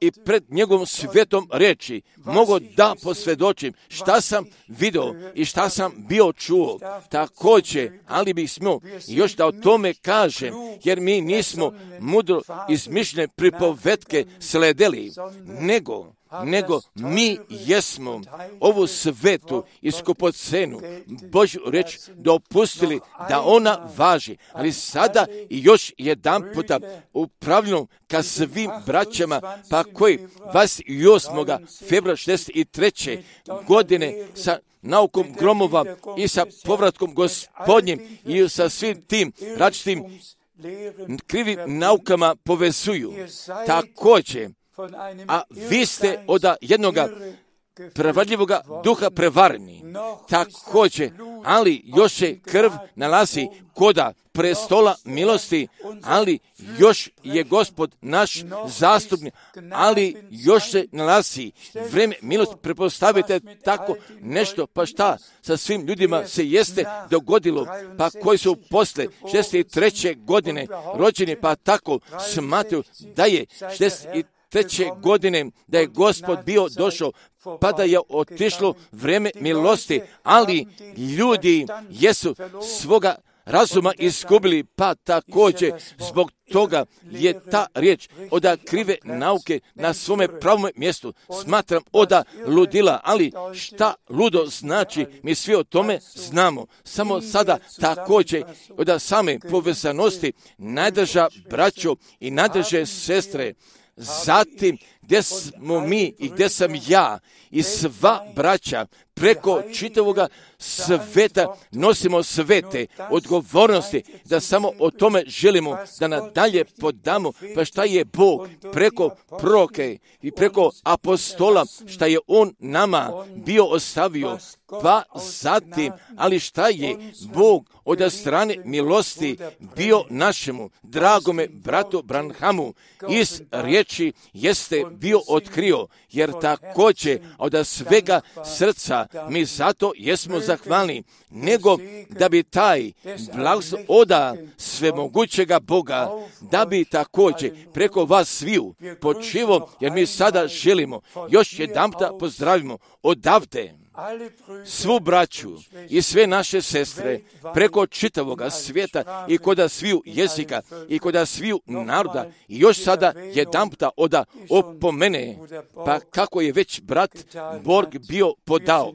i pred njegovom svetom reči mogu da posvjedočim šta sam vidio i šta sam bio čuo. Također, ali bih smio još da o tome kažem, jer mi nismo mudro izmišljene pripovetke sledeli, nego nego mi jesmo ovu svetu i skupocenu Božju reč dopustili da ona važi, ali sada i još jedan puta upravljeno ka svim braćama, pa koji dvadeset osmog februara šezdeset treće godine sa naukom gromova i sa povratkom Gospodnjim i sa svim tim različitim krivim naukama povezuju. Također, a vi ste od jednoga prevarljivoga duha prevareni. Također, ali još se krv nalazi koda prestola milosti, ali još je Gospod naš zastupnik, ali još se nalazi vreme milosti. Prepostavite tako nešto, pa šta sa svim ljudima se jeste dogodilo, pa koji su posle šezdeset treće godine rođeni, pa tako smatruju da je šezdeset treće godine da je Gospod bio došao, pa da je otišlo vreme milosti, ali ljudi jesu svoga razuma izgubili, pa također zbog toga je ta riječ od krive nauke na svome pravom mjestu. Smatram od ludila, ali šta ludo znači, mi svi o tome znamo. Samo sada također od same povezanosti najdrža braćo i najdrže sestre, zatim gdje smo mi i gdje sam ja i sva braća preko čitavoga sveta nosimo svete odgovornosti, da samo o tome želimo da nadalje podamo, pa šta je Bog preko proroke i preko apostola, šta je On nama bio ostavio, pa zatim, ali šta je Bog od strane milosti bio našemu dragome bratu Branhamu iz riječi jeste bio otkrio, jer također od svega srca mi zato jesmo zahvalni, nego da bi taj blagoslov oda svemogućega Boga, da bi također preko vas sviju počivo, jer mi sada želimo još jedanputa pozdravimo odavde svu braću i sve naše sestre preko čitavoga svijeta i koda sviju jezika i koda sviju naroda i još sada jedanputa oda opomene, pa kako je već brat Borg bio podao.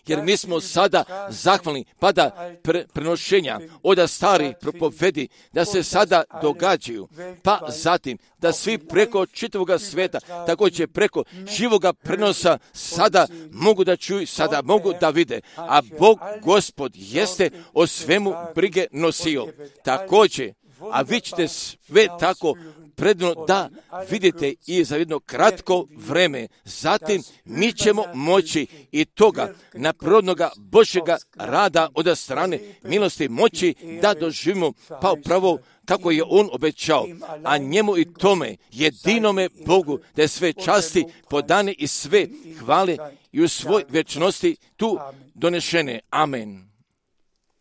Jer mi smo sada zahvalni, pa da pre, prenošenja od starih propovedi da se sada događaju, pa zatim da svi preko čitavoga sveta, također preko živoga prenosa sada mogu da čuju, sada mogu da vide, a Bog Gospod jeste o svemu brige nosio. Također, a vi ćete sve tako predno da vidite i za jedno kratko vreme. Zatim mi ćemo moći i toga naprirodnoga Božjega rada od strane milosti moći da doživimo pa upravo kako je On obećao, a njemu i tome jedinome Bogu da je sve časti podane i sve hvale i u svoj večnosti tu donešene. Amen.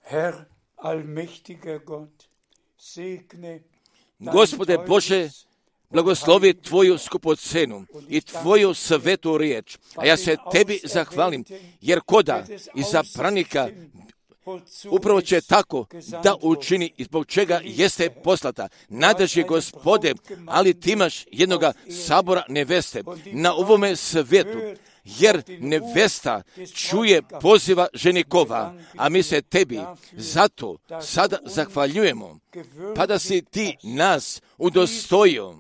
Herr, allmächtiger Gott, segne Gospode Bože, blagoslovi Tvoju skupocenu i Tvoju svetu riječ, a ja se Tebi zahvalim, jer koda iza pranika upravo će tako da učini i zbog čega jeste poslata. Nadrži Gospode, ali ti imaš jednoga sabora neveste na ovome svijetu. jer nevesta čuje poziva ženikova, a mi se tebi zato sada zahvaljujemo, pa da si ti nas udostojio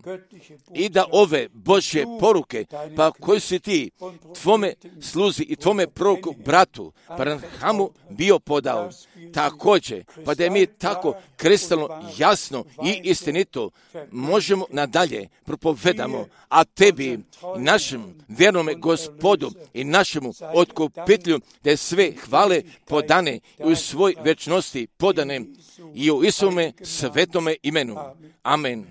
i da ove Božje poruke, pa koji si ti tvome sluzi i tvome proroku bratu Branhamu bio podao, također, pa da je mi tako kristalno jasno i istinito možemo nadalje propovedamo, a tebi, našem vjernome Gospodu i našemu otkupitelju, da je sve hvale podane i u svoj večnosti podane i u Isuvome svetome imenu. Amen.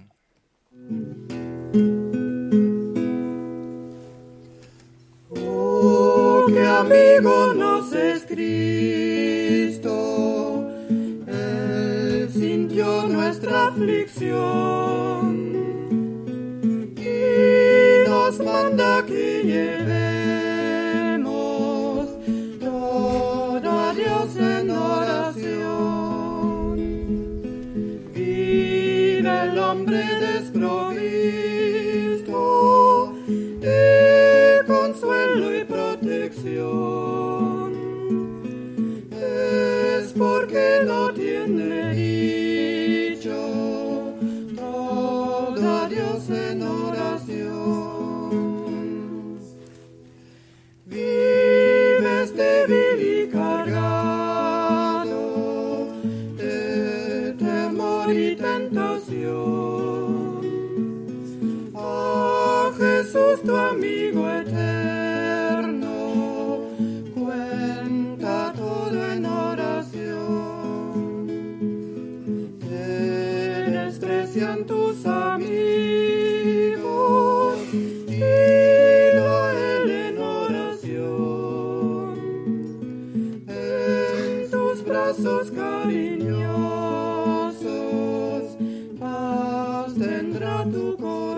Oh, que amigo nos es Cristo, Él sintió nuestra aflicción y nos manda que llevemos todo a Dios en oración. Vive el hombre desprovisto de consuelo y protección, es porque no tiene dicho todo a Dios en oración. Vives débil y cargado de temor y tentación. A Jesús tu amigo eterno cuenta todo en oración. Te desprecian tus amigos, dilo a Él en oración. En sus brazos cariñosos paz tendrá tu corazón.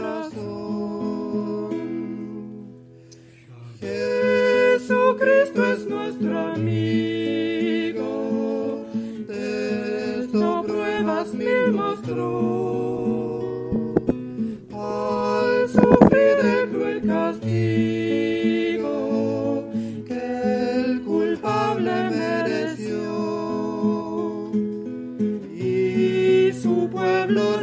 Jesucristo es nuestro amigo, de esto pruebas mil mostró. Al sufrir el cruel castigo que el culpable mereció, y su pueblo